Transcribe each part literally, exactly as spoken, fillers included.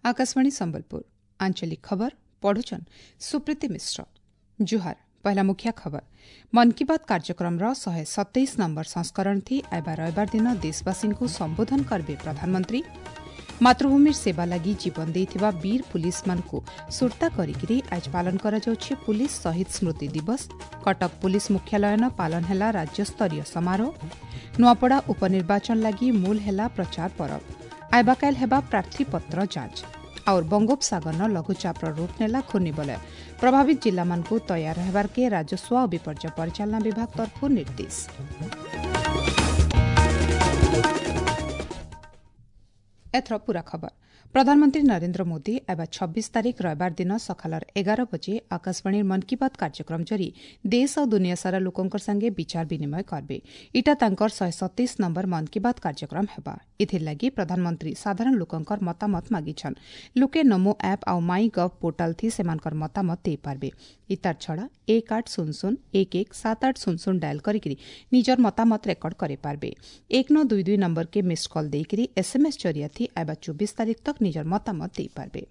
आकाशवाणी संबलपुर आंचलिक खबर पढ़ुछन सुप्रीति मिश्र। जुहार। पहला मुख्य खबर। मन की बात कार्यक्रम ର ଶହେ ସତେଇଶ ନମ୍ବର ସଂସ୍କରଣ ଥି ଆଇବା ରବିବାର ଦିନ ଦେଶବାସୀଙ୍କୁ ସମ୍ବୋଧନ କରିବେ ପ୍ରଧାନମନ୍ତ୍ରୀ। ମାତୃଭୂମିର ସେବା ଲାଗି ଜୀବନ ଦେଇଥିବା ବୀର ପୁଲିସମାନଙ୍କୁ ସୁର୍ତ୍ତା କରିକିରି ଆଜ ପାଳନ କରାଯାଉଛି ପୁଲିସ ଶହୀଦ ସ୍ମୃତି ଦିବସ। କଟକ ପୁଲିସ ମୁଖ୍ୟାଳୟନ ପାଳନ ହେଲା ରାଜ୍ୟସ୍ତରୀୟ ସମାରୋହ। ନୂଆପଡ଼ା ଉପନିର୍ବାଚନ ଲାଗି ମୂଲ ହେଲା ପ୍ରଚାର ପରବ। ଆଇବାକାଇଲ ହେବା ପ୍ରାର୍ଥୀପତ୍ର ଯାଞ୍ଚ। और ବଙ୍ଗୋପସାଗରର ଲଘୁଚାପର ରୂପ ନେଲା ଘୂର୍ଣ୍ଣିବଳୟ। ପ୍ରଭାବିତ ଜିଲ୍ଲାମାନଙ୍କୁ ତୟାର ହେବାର୍କେ ରାଜସ୍ୱ ଓ ବିପର୍ଯ୍ୟୟ ପରିଚାଳନା ବିଭାଗ ତରଫରୁ ନିର୍ଦ୍ଦେଶ। ଏଥର ପୂରା ଖବର। ପ୍ରଧାନମନ୍ତ୍ରୀ ନରେନ୍ଦ୍ର ମୋଦି ଆଇବା ଛବିଶ ତାରିଖ ରବିବାର ଦିନ ସକାଳର ଏଗାର ବଜେ ଆକାଶବାଣୀର ମନ୍ କି ବାତ୍ କାର୍ଯ୍ୟକ୍ରମ ଜରି ଦେଶ ଆଉ ଦୁନିଆ ସାରା ଲୋକଙ୍କ ସାଙ୍ଗେ ବିଚାର ବିନିମୟ କରିବେ। ଇଟା ତାଙ୍କର ଶହେ ସତେଇଶ ନମ୍ବର ମନ୍ କି ବାତ୍ କାର୍ଯ୍ୟକ୍ରମ ହେବା। ଏଥିର୍ ଲାଗି ପ୍ରଧାନମନ୍ତ୍ରୀ ସାଧାରଣ ଲୋକଙ୍କର ମତାମତ ମାଗିଛନ୍। ଲୋକେ ନମୋ ଆପ୍ ଆଉ ମାଇ ଗଭ୍ ପୋର୍ଟାଲ ଥି ସେମାନଙ୍କର ମତାମତ ଦେଇପାରିବେ। ଇତାର ଛଡ଼ା ଏକ ଆଠ ଶୂନ ଶୂନ ଏକ ଏକ ସାତ ଆଠ ଶୂନ ଶୂନ ଡାଏଲ୍ କରିକିରି ନିଜର ମତାମତ ରେକର୍ଡ କରିପାରିବେ। ଏକ ନଅ ଦୁଇ ଦୁଇ ନମ୍ବରକେ ମିସ୍ଡ କଲ୍ ଦେଇକିରି ଏସ୍ଏମ୍ଏସ୍ ଜରିଆ ଥି ଆଇବା ଚବିଶ ତାରିଖ ତକ୍ ନିଜର ମତାମତ ଦେଇପାରିବେ।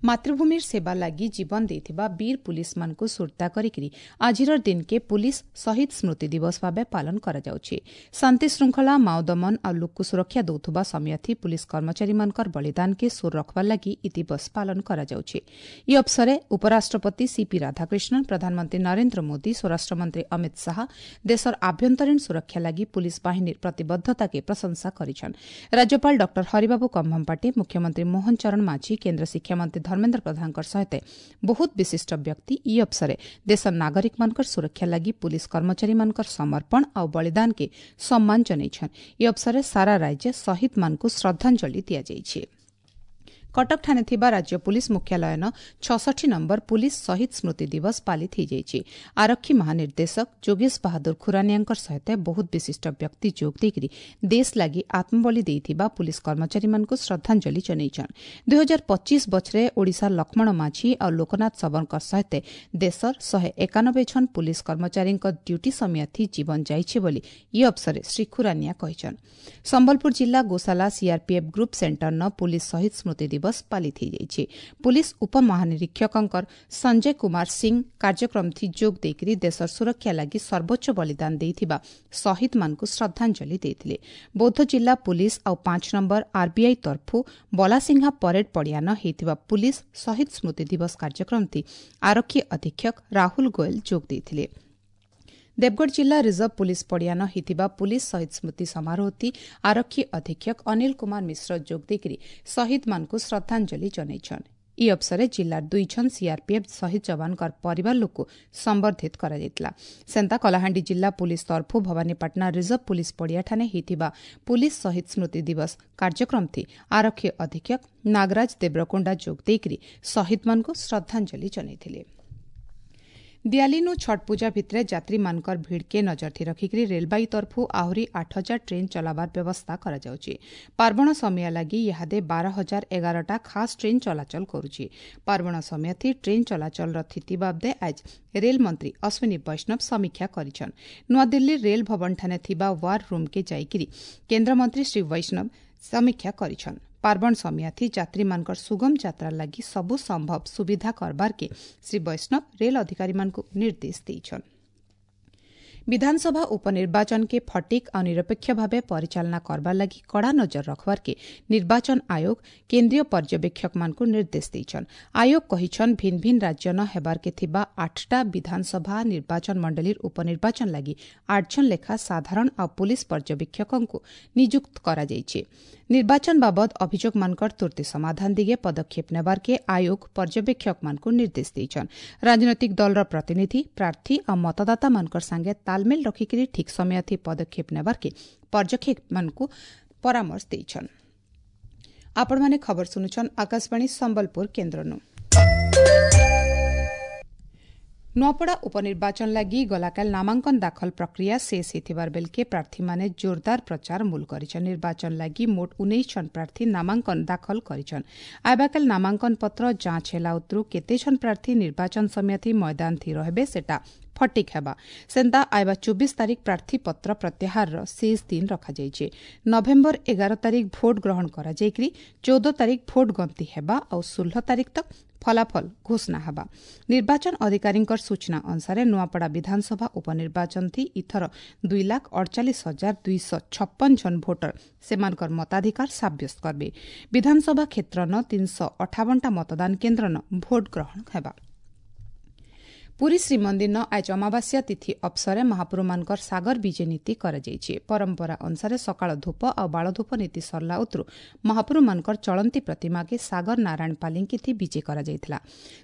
ମାତୃଭୂମିର ସେବା ଲାଗି ଜୀବନ ଦେଇଥିବା ବୀର ପୁଲିସମାନଙ୍କୁ ସୁର୍ତ୍ତା କରିକିରି ଆଜିର ଦିନକେ ପୁଲିସ ଶହୀଦ ସ୍ମୃତି ଦିବସ ଭାବେ ପାଳନ କରାଯାଉଛି। ଶାନ୍ତି ଶୃଙ୍ଖଳା, ମାଓ ଦମନ ଆଉ ଲୋକକୁ ସୁରକ୍ଷା ଦେଉଥିବା ସମୟଥି ପୁଲିସ କର୍ମଚାରୀମାନଙ୍କର ବଳିଦାନକେ ସୁର ରଖବାର ଲାଗି ଇ ଦିବସ ପାଳନ କରାଯାଉଛି। ଇ ଅବସରେ ଉପରାଷ୍ଟ୍ରପତି ସିପି ରାଧାକୃଷ୍ଣନ, ପ୍ରଧାନମନ୍ତ୍ରୀ ନରେନ୍ଦ୍ର ମୋଦି, ସ୍ୱରାଷ୍ଟ୍ରମନ୍ତ୍ରୀ ଅମିତ ଶାହା ଦେଶର ଆଭ୍ୟନ୍ତରୀଣ ସୁରକ୍ଷା ଲାଗି ପୁଲିସ ବାହିନୀର ପ୍ରତିବଦ୍ଧତାକେ ପ୍ରଶଂସା କରିଛନ୍। ରାଜ୍ୟପାଳ ଡକ୍ଟର ହରିବାବୁ କମ୍ଭମପାଟି, ମୁଖ୍ୟମନ୍ତ୍ରୀ ମୋହନ ଚରଣ ମାଝୀ, କେନ୍ଦ୍ର ଶିକ୍ଷାମନ୍ତ୍ରୀ ଧର୍ମେନ୍ଦ୍ର ପ୍ରଧାନଙ୍କ ସହିତ ବହୁତ ବିଶିଷ୍ଟ ବ୍ୟକ୍ତି ଇ ଅବସରେ ଦେଶର ନାଗରିକମାନଙ୍କର ସୁରକ୍ଷା ଲାଗି ପୁଲିସ କର୍ମଚାରୀମାନଙ୍କର ସମର୍ପଣ ଆଉ ବଳିଦାନକେ ସମ୍ମାନ ଜଣାଇଛନ୍। ଇ ଅବସରେ ସାରା ରାଜ୍ୟ ଶହୀଦମାନଙ୍କୁ ଶ୍ରଦ୍ଧାଞ୍ଜଳି ଦିଆଯାଇଛି। କଟକଠାରେ ଥିବା ରାଜ୍ୟ ପୁଲିସ ମୁଖ୍ୟାଳୟନ ଛଷଠି ନମ୍ବର ପୁଲିସ ଶହୀଦ ସ୍ମୃତି ଦିବସ ପାଳିତ ହୋଇଯାଇଛି। ଆରକ୍ଷୀ ମହାନିର୍ଦ୍ଦେଶକ ଯୋଗେଶ ବାହାଦୁର ଖୁରାନିଆଙ୍କ ସହିତ ବହୁତ ବିଶିଷ୍ଟ ବ୍ୟକ୍ତି ଯୋଗ ଦେଇକରି ଦେଶ ଲାଗି ଆତ୍ମବଳି ଦେଇଥିବା ପୁଲିସ କର୍ମଚାରୀମାନଙ୍କୁ ଶ୍ରଦ୍ଧାଞ୍ଜଳି ଜଣାଇଛନ୍। ଦୁଇ ହଜାର ପଚିଶ ବଛରେ ଓଡ଼ିଶାର ଲକ୍ଷ୍ମଣ ମାଝୀ ଆଉ ଲୋକନାଥ ଶବରଙ୍କ ସହିତ ଦେଶର ଶହେ ଏକାନବେ ଜଣ ପୁଲିସ କର୍ମଚାରୀଙ୍କ ଡ୍ୟୁଟି ସମୟଥି ଜୀବନ ଯାଇଛି ବୋଲି ଇ ଅବସରେ ଶ୍ରୀ ଖୁରାନିଆ କହିଛନ୍। ସମ୍ବଲପୁର ଜିଲ୍ଲା ଗୋଶାଲା ସିଆର୍ପିଏଫ୍ ଗ୍ରୁପ୍ ସେଣ୍ଟରନ ପୁଲିସ ଶହୀଦ ସ୍ମୃତି ଦିବସ ପାଳିତ ହୋଇଯାଇଛି। ପୁଲିସ ଉପମହାନିରୀକ୍ଷକଙ୍କର ସଞ୍ଜୟ କୁମାର ସିଂ କାର୍ଯ୍ୟକ୍ରମ ଥି ଯୋଗ ଦେଇକରି ଦେଶର ସୁରକ୍ଷା ଲାଗି ସର୍ବୋଚ୍ଚ ବଳିଦାନ ଦେଇଥିବା ଶହୀଦମାନଙ୍କୁ ଶ୍ରଦ୍ଧାଞ୍ଜଳି ଦେଇଥିଲେ। ବୌଦ୍ଧ ଜିଲ୍ଲା ପୁଲିସ ଆଉ ପାଞ୍ଚ ନମ୍ବର ଆର୍ବିଆଇ ତରଫୁ ବଲାସିଂହା ପରେଡ୍ ପଡ଼ିଆନ ହୋଇଥିବା ପୁଲିସ ଶହୀଦ ସ୍ମୃତି ଦିବସ କାର୍ଯ୍ୟକ୍ରମ ଥି ଆରକ୍ଷୀ ଅଧୀକ୍ଷକ ରାହୁଲ ଗୋଏଲ ଯୋଗ ଦେଇଥିଲେ। ଦେବଗଡ଼ ଜିଲ୍ଲା ରିଜର୍ଭ ପୁଲିସ ପଡ଼ିଆନ ହୋଇଥିବା ପୁଲିସ ଶହୀଦ ସ୍ମୃତି ସମାରୋହଥି ଆରକ୍ଷୀ ଅଧୀକ୍ଷକ ଅନିଲ କୁମାର ମିଶ୍ର ଯୋଗ ଦେଇକରି ଶହୀଦମାନଙ୍କୁ ଶ୍ରଦ୍ଧାଞ୍ଜଳି ଜଣାଇଛନ୍। ଇ ଅବସରେ ଜିଲ୍ଲାର ଦୁଇ ଜଣ ସିଆର୍ପିଏଫ୍ ଶହୀଦ ଯବାନଙ୍କର ପରିବାର ଲୋକକୁ ସମ୍ବର୍ଦ୍ଧିତ କରାଯାଇଥିଲା। ସେନ୍ତା କଳାହାଣ୍ଡି ଜିଲ୍ଲା ପୁଲିସ ତରଫୁ ଭବାନୀପାଟଣା ରିଜର୍ଭ ପୁଲିସ ପଡ଼ିଆଠାରେ ହୋଇଥିବା ପୁଲିସ ଶହୀଦ ସ୍ମୃତି ଦିବସ କାର୍ଯ୍ୟକ୍ରମଥି ଆରକ୍ଷୀ ଅଧୀକ୍ଷକ ନାଗରାଜ ଦେବରକୋଣ୍ଡା ଯୋଗ ଦେଇକରି ଶହୀଦମାନଙ୍କୁ ଶ୍ରଦ୍ଧାଞ୍ଜଳି ଜଣାଇଥିଲେ। ଦିଆଲିନୁ ଛଟ୍ ପୂଜା ଭିତରେ ଯାତ୍ରୀମାନଙ୍କର ଭିଡ଼କେ ନଜରଥି ରଖିକରି ରେଳବାଇ ତରଫୁ ଆହୁରି ଆଠ ହଜାର ଟ୍ରେନ୍ ଚଲାବାର ବ୍ୟବସ୍ଥା କରାଯାଉଛି। ପାର୍ବଣ ସମୟ ଲାଗି ଇହାଦେ ବାର ହଜାର ଏଗାରଟା ଖାସ୍ ଟ୍ରେନ୍ ଚଳାଚଳ କରୁଛି। ପାର୍ବଣ ସମୟଥି ଟ୍ରେନ୍ ଚଳାଚଳର ସ୍ଥିତି ବାବଦେ ଆଜ ରେଲମନ୍ତ୍ରୀ ଅଶ୍ୱିନୀ ବୈଷ୍ଣବ ସମୀକ୍ଷା କରିଛନ୍। ନୂଆଦିଲ୍ଲୀ ରେଲ ଭବନଠାରେ ଥିବା ୱାର୍ ରୁମ୍କେ ଯାଇକରି କେନ୍ଦ୍ରମନ୍ତ୍ରୀ ଶ୍ରୀ ବୈଷ୍ଣବ ସମୀକ୍ଷା କରିଛନ୍। ପାର୍ବଣ ସମୟଥି ଯାତ୍ରୀମାନଙ୍କର ସୁଗମ ଯାତ୍ରା ଲାଗି ସବୁ ସମ୍ଭବ ସୁବିଧା କରବାର୍କେ ଶ୍ରୀ ବୈଷ୍ଣବ ରେଲ ଅଧିକାରୀମାନଙ୍କୁ ନିର୍ଦ୍ଦେଶ ଦେଇଛନ୍। ବିଧାନସଭା ଉପନିର୍ବାଚନକେ ଫଟିକ୍ ଆଉ ନିରପେକ୍ଷ ଭାବେ ପରିଚାଳନା କରବାର ଲାଗି କଡ଼ା ନଜର ରଖବାର୍କେ ନିର୍ବାଚନ ଆୟୋଗ କେନ୍ଦ୍ରୀୟ ପର୍ଯ୍ୟବେକ୍ଷକମାନଙ୍କୁ ନିର୍ଦ୍ଦେଶ ଦେଇଛନ୍। ଆୟୋଗ କହିଛନ୍ ଭିନ୍ ଭିନ୍ ରାଜ୍ୟନ ହେବାର୍କେ ଥିବା ଆଠଟା ବିଧାନସଭା ନିର୍ବାଚନ ମଣ୍ଡଳୀର ଉପନିର୍ବାଚନ ଲାଗି ଆଠ ଜଣ ଲେଖା ସାଧାରଣ ଆଉ ପୁଲିସ ପର୍ଯ୍ୟବେକ୍ଷକଙ୍କୁ ନିଯୁକ୍ତ କରାଯାଇଛି। ନିର୍ବାଚନ ବାବଦ ଅଭିଯୋଗମାନଙ୍କର ତୁର୍ତ୍ତି ସମାଧାନ ଦିଗେ ପଦକ୍ଷେପ ନେବାର୍କେ ଆୟୋଗ ପର୍ଯ୍ୟବେକ୍ଷକମାନଙ୍କୁ ନିର୍ଦ୍ଦେଶ ଦେଇଛନ୍। ରାଜନୈତିକ ଦଳର ପ୍ରତିନିଧି, ପ୍ରାର୍ଥୀ ଆଉ ମତଦାତାମାନଙ୍କର ସାଙ୍ଗେ ତାଲମେଲ ରଖିକରି ଠିକ୍ ସମୟଥି ପଦକ୍ଷେପ ନେବାର୍କେ ପର୍ଯ୍ୟବେକ୍ଷକମାନଙ୍କୁ ପରାମର୍ଶ ଦେଇଛନ୍। ଆପଣମାନେ ଖବର ଶୁଣୁଛନ୍ ଆକାଶବାଣୀ ସମ୍ବଲପୁର କେନ୍ଦ୍ରନୁ। ନୂଆପଡ଼ା ଉପନିର୍ବାଚନ ଲାଗି ଗଲାକାଲି ନାମାଙ୍କନ ଦାଖଲ ପ୍ରକ୍ରିୟା ଶେଷ ହୋଇଥିବାର ବେଲକେ ପ୍ରାର୍ଥୀମାନେ ଜୋରଦାର ପ୍ରଚାର ମୂଲ କରିଛନ୍। ନିର୍ବାଚନ ଲାଗି ମୋଟ ଉଣେଇଶ ଜଣ ପ୍ରାର୍ଥୀ ନାମାଙ୍କନ ଦାଖଲ କରିଛନ୍। ଆଇବାକାଲି ନାମାଙ୍କନ ପତ୍ର ଯାଞ୍ଚ ହେଲା ଉତରୁ କେତେ ଜଣ ପ୍ରାର୍ଥୀ ନିର୍ବାଚନ ସମୟଥି ମଇଦାନ ଥି ରହିବେ ସେଟା ଫଟିକ୍ ହେବା। ସେନ୍ତା ଆଇବା ଚବିଶ ତାରିଖ ପ୍ରାର୍ଥୀପତ୍ର ପ୍ରତ୍ୟାହାରର ଶେଷ ଦିନ ରଖାଯାଇଛି। ନଭେମ୍ବର ଏଗାର ତାରିଖ ଭୋଟ ଗ୍ରହଣ କରାଯାଇକରି ଚଉଦ ତାରିଖ ଭୋଟ ଗଣତି ହେବା ଆଉ ଷୋହଳ ତାରିଖ ତକ୍ ଫଳାଫଳ ଘୋଷଣା ହେବା। ନିର୍ବାଚନ ଅଧିକାରୀଙ୍କ ସୂଚନା ଅନୁସାରେ ନୂଆପଡ଼ା ବିଧାନସଭା ଉପନିର୍ବାଚନ ଥି ଇଥର ଦୁଇ ଲାଖ ଅଡ଼ଚାଳିଶ ହଜାର ଦୁଇଶହ ଛପନ ଜଣ ଭୋଟର ସେମାନଙ୍କର ମତାଧିକାର ସାବ୍ୟସ୍ତ କରିବେ। ବିଧାନସଭା କ୍ଷେତ୍ରନ ତିନିଶହ ଅଠାବନଟା ମତଦାନ କେନ୍ଦ୍ରନ ଭୋଟ ଗ୍ରହଣ ହେବା। ପୁରୀ ଶ୍ରୀମନ୍ଦିରନ ଆଜ ଅମାବାସ୍ୟା ତିଥି ଅବସରେ ମହାପ୍ରଭୁମାନଙ୍କର ସାଗର ବିଜେ ନୀତି କରାଯାଇଛି। ପରମ୍ପରା ଅନୁସାରେ ସକାଳ ଧୂପ ଆଉ ବାଳଧୂପ ନୀତି ସରିଲା ଉତରୁ ମହାପ୍ରଭୁମାନଙ୍କର ଚଳନ୍ତି ପ୍ରତିମାକେ ସାଗର ନାରାୟଣ ପାଲିଙ୍କିଥି ବିଜେ କରାଯାଇଥିଲା।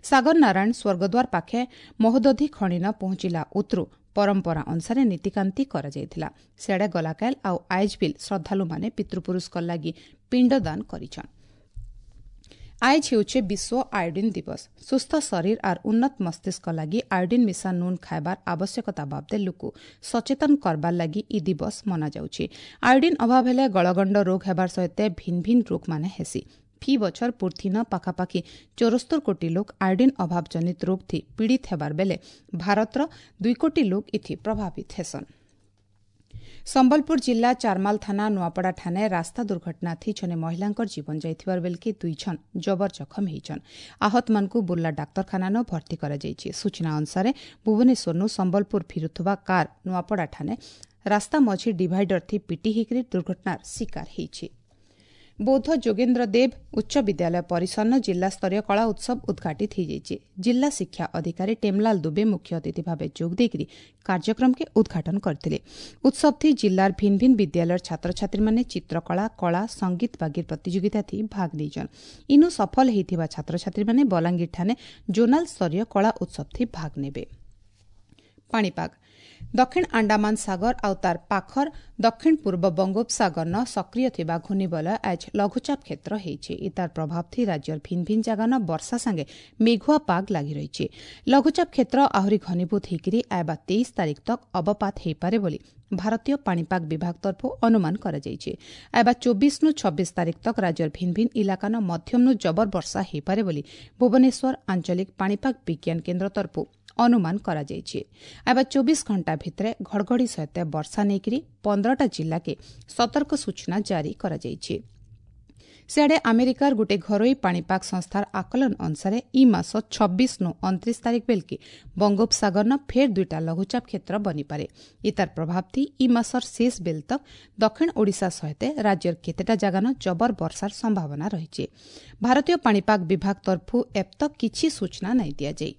ସାଗର ନାରାୟଣ ସ୍ୱର୍ଗଦ୍ୱାର ପାଖେ ମହୋଦଧି ଖଣିନ ପହଞ୍ଚିଲା ଉତରୁ ପରମ୍ପରା ଅନୁସାରେ ନୀତିକାନ୍ତି କରାଯାଇଥିଲା। ସିଆଡ଼େ ଗଲାକାଲ ଆଉ ଆଇଜବିଲ୍ ଶ୍ରଦ୍ଧାଳୁମାନେ ପିତୃପୁରୁଷଙ୍କ ଲାଗି ପିଣ୍ଡଦାନ କରିଛନ୍। ଆଏଜ ହେଉଛେ ବିଶ୍ୱ ଆୟୋଡିନ୍ ଦିବସ। ସୁସ୍ଥ ଶରୀର ଆର୍ ଉନ୍ନତ ମସ୍ତିଷ୍କ ଲାଗି ଆୟୋଡିନ୍ ମିଶା ନୁନ୍ ଖାଇବାର ଆବଶ୍ୟକତା ବାବଦେ ଲୋକ ସଚେତନ କରବାର ଲାଗି ଇ ଦିବସ ମନାଯାଉଛି। ଆୟୋଡିନ୍ ଅଭାବ ହେଲେ ଗଳଗଣ୍ଡ ରୋଗ ହେବାର ସହିତ ଭିନ୍ ଭିନ୍ ରୋଗମାନେ ହେସି। ଫି ବଛର ପୁର୍ଥିନ ପାଖାପାଖି ଚଉରସ୍ତର କୋଟି ଲୋକ ଆୟୋଡିନ୍ ଅଭାବ ଜନିତ ରୋଗ ଥି ପୀଡ଼ିତ ହେବାର ବେଲେ ଭାରତର ଦୁଇ କୋଟି ଲୋକ ଇଥି ପ୍ରଭାବିତ ହେସନ୍। ସମ୍ବଲପୁର ଜିଲ୍ଲା ଚାରମାଲ ଥାନା ନୂଆପଡ଼ା ଠାନେ ରାସ୍ତା ଦୁର୍ଘଟଣା ଥି ଜଣେ ମହିଳାଙ୍କର ଜୀବନ ଯାଇଥିବାର ବେଲକେ ଦୁଇ ଜଣ ଜବର ଜଖମ ହେଇଛନ୍। ଆହତମାନଙ୍କୁ ବୁର୍ଲା ଡାକ୍ତରଖାନାନ ଭର୍ତ୍ତି କରାଯାଇଛି। ସୂଚନା ଅନୁସାରେ ଭୁବନେଶ୍ୱରନୁ ସମ୍ବଲପୁର ଫିରୁଥିବା କାର୍ ନୂଆପଡ଼ା ଠାନେ ରାସ୍ତା ମଝି ଡିଭାଇଡର ଥି ପିଟି ହେଇକରି ଦୁର୍ଘଟଣାର ଶିକାର ହେଇଛି। ବୌଦ୍ଧ ଯୋଗେନ୍ଦ୍ର ଦେବ ଉଚ୍ଚ ବିଦ୍ୟାଳୟ ପରିସରନ ଜିଲ୍ଲାସ୍ତରୀୟ କଳା ଉତ୍ସବ ଉଦ୍ଘାଟିତ ହୋଇଯାଇଛି। ଜିଲ୍ଲା ଶିକ୍ଷା ଅଧିକାରୀ ଟେମଲାଲ ଦୁବେ ମୁଖ୍ୟ ଅତିଥି ଭାବେ ଯୋଗ ଦେଇକରି କାର୍ଯ୍ୟକ୍ରମକେ ଉଦ୍ଘାଟନ କରିଥିଲେ। ଉତ୍ସବଥି ଜିଲ୍ଲାର ଭିନ୍ ଭିନ୍ ବିଦ୍ୟାଳୟର ଛାତ୍ରଛାତ୍ରୀମାନେ ଚିତ୍ରକଳା, କଳା, ସଙ୍ଗୀତ ବାଗିର ପ୍ରତିଯୋଗିତାଥି ଭାଗ ନେଇଛନ୍। ଇନୁ ସଫଳ ହୋଇଥିବା ଛାତ୍ରଛାତ୍ରୀମାନେ ବଲାଙ୍ଗୀର ଠାନେ ଜୋନାଲ ସ୍ତରୀୟ କଳା ଉତ୍ସବଥି ଭାଗ ନେବେ। ପାଣିପାଗ ଦକ୍ଷିଣ ଆଣ୍ଡାମାନ ସାଗର ଆଉ ତାର ପାଖର ଦକ୍ଷିଣ ପୂର୍ବ ବଙ୍ଗୋପସାଗରନ ସକ୍ରିୟ ଥିବା ଘୂର୍ଣ୍ଣିବଳୟ ଆଜ ଲଘୁଚାପ କ୍ଷେତ୍ର ହେଇଛି। ଇତାର ପ୍ରଭାବ ଥି ରାଜ୍ୟର ଭିନ୍ ଭିନ୍ ଜାଗାନ ବର୍ଷା ସାଙ୍ଗେ ମେଘୁଆ ପାଗ ଲାଗି ରହିଛି। ଲଘୁଚାପ କ୍ଷେତ୍ର ଆହୁରି ଘନୀଭୂତ ହେଇକରି ଆଇବା ତେଇଶ ତାରିଖ ତକ୍ ଅବପାତ ହେଇପାରେ ବୋଲି ଭାରତୀୟ ପାଣିପାଗ ବିଭାଗ ତରଫରୁ ଅନୁମାନ କରାଯାଇଛି। ଆଇବା ଚବିଶରୁ ଛବିଶ ତାରିଖ ତକ୍ ରାଜ୍ୟର ଭିନ୍ ଭିନ୍ ଇଲାକାନ ମଧ୍ୟମନୁ ଜବର ବର୍ଷା ହେଇପାରେ ବୋଲି ଭୁବନେଶ୍ୱର ଆଞ୍ଚଳିକ ପାଣିପାଗ ବିଜ୍ଞାନ କେନ୍ଦ୍ର ତରଫରୁ ଅନୁମାନ କରାଯାଇଛି। ଆଇବା ଚବିଶ ଘଣ୍ଟା ଭିତରେ ଘଡ଼ଘଡ଼ି ସହିତ ବର୍ଷା ନେଇକରି ପନ୍ଦରଟା ଜିଲ୍ଲାକେ ସତର୍କ ସୂଚନା ଜାରି କରାଯାଇଛି। ସିଆଡ଼େ ଆମେରିକାର ଗୋଟିଏ ଘରୋଇ ପାଣିପାଗ ସଂସ୍ଥାର ଆକଳନ ଅନୁସାରେ ଇ ମାସ ଛବିଶରୁ ଅଣତିରିଶ ତାରିଖ ବେଲକେ ବଙ୍ଗୋପସାଗରନ ଫେର୍ ଦୁଇଟା ଲଘୁଚାପ କ୍ଷେତ୍ର ବନିପାରେ। ଇତାର ପ୍ରଭାବ ଥି ଇ ମାସର ଶେଷ ବେଲ ତକ୍ ଦକ୍ଷିଣ ଓଡ଼ିଶା ସହିତ ରାଜ୍ୟର କେତେଟା ଜାଗାନ ଜବର ବର୍ଷାର ସମ୍ଭାବନା ରହିଛି। ଭାରତୀୟ ପାଣିପାଗ ବିଭାଗ ତରଫରୁ ଏପ୍ ତକ୍ କିଛି ସୂଚନା ନାଇଁ ଦିଆଯାଇ।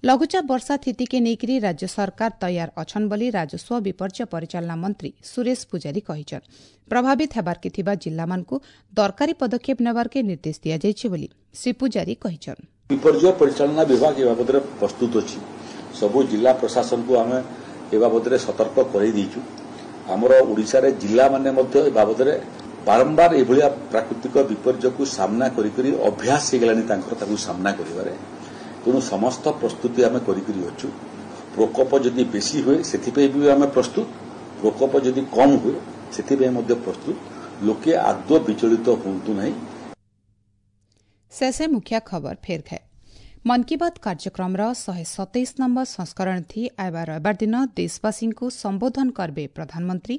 ଲଘୁଚାପ ବର୍ଷା ସ୍ଥିତିକେ ନେଇକରି ରାଜ୍ୟ ସରକାର ତୈୟାର ଅଛନ୍ ବୋଲି ରାଜସ୍ୱ ବିପର୍ଯ୍ୟୟ ପରିଚାଳନା ମନ୍ତ୍ରୀ ସୁରେଶ ପୂଜାରୀ କହିଛନ୍। ପ୍ରଭାବିତ ହେବାର୍କେ ଥିବା ଜିଲ୍ଲାମାନଙ୍କୁ ଦରକାରୀ ପଦକ୍ଷେପ ନେବାର୍କେ ନିର୍ଦ୍ଦେଶ ଦିଆଯାଇଛି ବୋଲି ଶ୍ରୀ ପୂଜାରୀ କହିଛନ୍। ବିପର୍ଯ୍ୟୟ ପରିଚାଳନା ବିଭାଗ ଏ ବାବଦରେ ପ୍ରସ୍ତୁତ ଅଛି। ସବୁ ଜିଲ୍ଲା ପ୍ରଶାସନକୁ ଆମେ ଏ ବାବଦରେ ସତର୍କ କରାଇ ଦେଇଛୁ। ଆମର ଓଡ଼ିଶାରେ ଜିଲ୍ଲାମାନେ ମଧ୍ୟ ଏ ବାବଦରେ ବାରମ୍ବାର ଏଭଳିଆ ପ୍ରାକୃତିକ ବିପର୍ଯ୍ୟୟକୁ ସାମ୍ନା କରି କରି ଅଭ୍ୟାସ ହେଇଗଲାଣି ତାଙ୍କର ତାକୁ ସାମ୍ନା କରିବାରେ। ତେଣୁ ସମସ୍ତ ପ୍ରସ୍ତୁତି ଆମେ କରିକରି ଅଛୁ। ପ୍ରକୋପ ଯଦି ବେଶୀ ହୁଏ ସେଥିପାଇଁ ବି ଆମେ ପ୍ରସ୍ତୁତ, ପ୍ରକୋପ ଯଦି କମ୍ ହୁଏ ସେଥିପାଇଁ ମଧ୍ୟ ପ୍ରସ୍ତୁତ। ଲୋକେ ଆଦୌ ବିଚଳିତ ହୁଅନ୍ତୁ ନାହିଁ। ଶେଷେ ମୁଖ୍ୟ ଖବର ଫେର ଖାଏ। ମନ୍ କି ବାତ୍ କାର୍ଯ୍ୟକ୍ରମର ଶହେ ସତେଇଶ ନମ୍ବର ସଂସ୍କରଣ ଥି ଆଇବା ରବିବାର ଦିନ ଦେଶବାସୀଙ୍କୁ ସମ୍ବୋଧନ କରିବେ ପ୍ରଧାନମନ୍ତ୍ରୀ।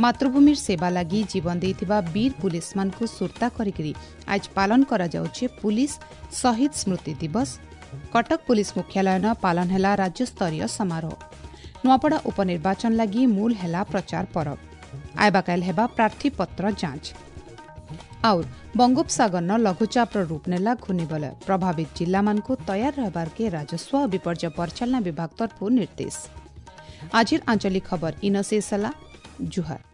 ମାତୃଭୂମିର ସେବା ଲାଗି ଜୀବନ ଦେଇଥିବା ବୀର ପୁଲିସମାନଙ୍କୁ ସୁର୍ତ୍ତା କରିକରି ଆଜ ପାଳନ କରାଯାଉଛି ପୁଲିସ ଶହୀଦ ସ୍ମୃତି ଦିବସ। କଟକ ପୁଲିସ ମୁଖ୍ୟାଳୟନ ପାଳନ ହେଲା ରାଜ୍ୟସ୍ତରୀୟ ସମାରୋହ। ନୂଆପଡ଼ା ଉପନିର୍ବାଚନ ଲାଗି ମୂଲ ହେଲା ପ୍ରଚାର ପରବ। ଆଇବାକାଇଲ ହେବା ପ୍ରାର୍ଥୀପତ୍ର ଯାଞ୍ଚ। ଆଉ ବଙ୍ଗୋପସାଗରନ ଲଘୁଚାପର ରୂପ ନେଲା ଘୂର୍ଣ୍ଣିବଳୟ। ପ୍ରଭାବିତ ଜିଲ୍ଲାମାନଙ୍କୁ ତୟାର ରହିବାର୍କେ ରାଜସ୍ୱ ଓ ବିପର୍ଯ୍ୟୟ ପରିଚାଳନା ବିଭାଗ ତରଫରୁ ନିର୍ଦ୍ଦେଶ। ଆଜିର ଆଞ୍ଚଳିକ ଖବର ଇନ ଶେଷ ହେଲା। ଜୁହାର।